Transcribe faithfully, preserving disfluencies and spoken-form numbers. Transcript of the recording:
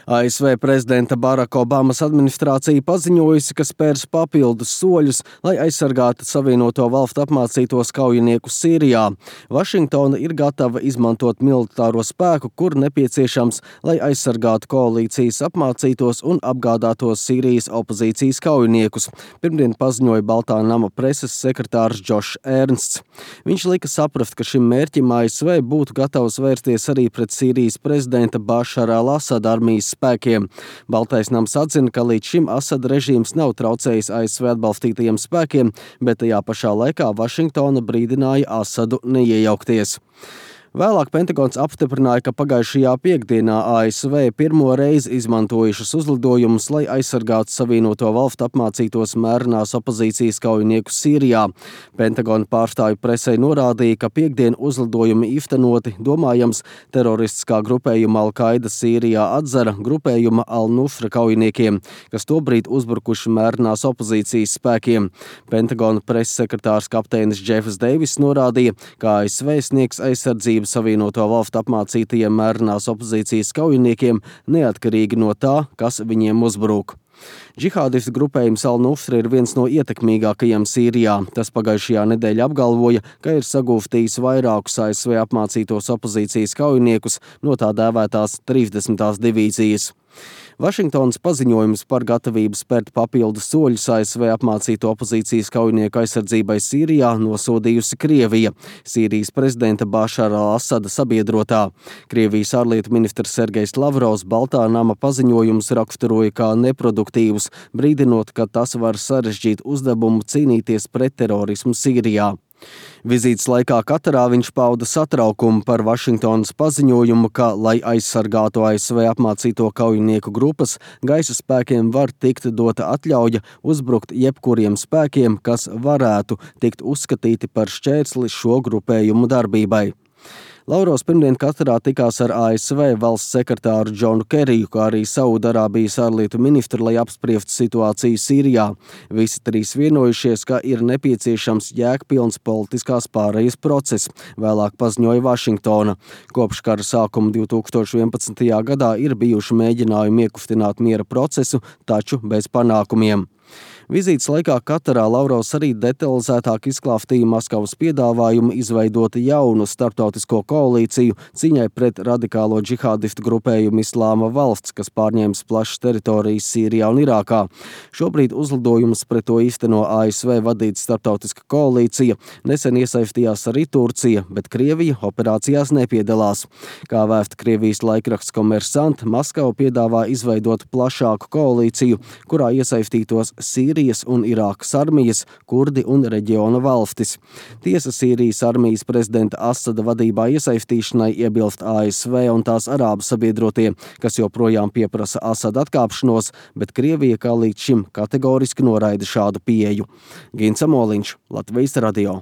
A S V prezidenta Baraka Obamas administrācija paziņojusi, ka spērs papildus soļus, lai aizsargātu Savienoto Valstu apmācītos kaujiniekus Sīrijā. Vašingtona ir gatava izmantot militāro spēku, kur nepieciešams, lai aizsargātu koalīcijas apmācītos un apgādātos Sīrijas opozīcijas kaujiniekus. Pirmdien paziņoja Baltā nama preses sekretārs Džošs Ernsts. Viņš lika saprast, ka šim mērķim A S V būtu gatavs vērsties arī pret Sīrijas prezidenta Bašara al-Asada armijas spēkiem. Baltais nams atzina, ka līdz šim Asada režīms nav traucējis A S V atbalstītajiem spēkiem, bet tajā pašā laikā Vašingtona brīdināja Asadu neiejaukties. Vēlāk Pentagons apstiprināja, ka pagājušajā piekdienā A S V pirmo reizi izmantojušas uzlidojumus, lai aizsargātu Savienoto Valstu apmācītos mērenās opozīcijas kaujiniekus Sīrijā. Pentagona pārstāvju presei norādīja, ka piekdien uzlidojumi īstenoti, domājams, teroristiskā grupējuma Al-Qaida Sīrijā atzara grupējuma Al-Nusra kaujiniekiem, kas tobrīd uzbrukuši mērenās opozīcijas spēkiem. Pentagona preses sekretārs kapteinis Džefs Deivis norādīja, ka A S V sniegs aizsardzību Savienoto Valstu apmācītajiem mērenās opozīcijas kaujiniekiem neatkarīgi no tā, kas viņiem uzbrūk. Džihādistu grupējums Al-Nusra ir viens no ietekmīgākajiem Sīrijā. Tas pagājušajā nedēļā apgalvoja, ka ir sagūstījis vairākus A S V apmācītos opozīcijas kaujiniekus no tā dēvētās trīsdesmitās divīzijas. Vašingtonas paziņojums par gatavību spērt papildus soļus A S V apmācīto opozīcijas kaujinieku aizsardzībai Sīrijā nosodījusi Krievija, Sīrijas prezidenta Bašara al-Asada sabiedrotā. Krievijas ārlietu ministrs Sergejs Lavrovs Baltā nama paziņojumus raksturoja kā neproduktīvus, brīdinot, ka tas var sarežģīt uzdevumu cīnīties pret terorismu Sīrijā. Vizītes laikā Katarā viņš pauda satraukumu par Vašingtonas paziņojumu, ka, lai aizsargātu A S V apmācīto kaujinieku grupas, gaisa spēkiem var tikt dota atļauja uzbrukt jebkuriem spēkiem, kas varētu tikt uzskatīti par šķērsli šo grupējumu darbībai. Lavrovs pirmdien Katarā tikās ar A S V valsts sekretāru Džonu Keriju, kā arī Saudarābijas ārlietu ministru, lai apspriestu situāciju Sīrijā. Visi trīs vienojušies, ka ir nepieciešams jēgpilns politiskās pārejas process, vēlāk paziņoja Vašingtona. Kopš kara sākuma divtūkstoš vienpadsmitajā gadā ir bijuši mēģinājumi iekustināt miera procesu, taču bez panākumiem. Vizītes laikā Katarā Lavrovs arī detalizētāk izklāstīja Maskavas piedāvājumu izveidot jaunu starptautisko koalīciju cīņai pret radikālo džihādistu grupējumu Islāma valsts, kas pārņēmis plašas teritorijas Sīrijā un Irākā. Šobrīd uzlidojumus pret to īsteno A S V vadīta starptautiska koalīcija. Nesen iesaistījās arī Turcija, bet Krievija operācijās nepiedalās. Kā vēsta Krievijas laikraksts Komersant, Maskava piedāvā izveidot plašāku koalīciju, kurā iesaistītos Sīrijas un Irākas armijas, kurdi un reģiona valstis. Tiesa Sīrijas armijas prezidenta Asada vadībā iesaistīšanai iebilst A S V un tās arābu sabiedrotie, kas joprojām pieprasa Asada atkāpšanos, bet Krievija kā līdz šim kategoriski noraida šādu pieeju. Gins Amoliņš, Latvijas radio.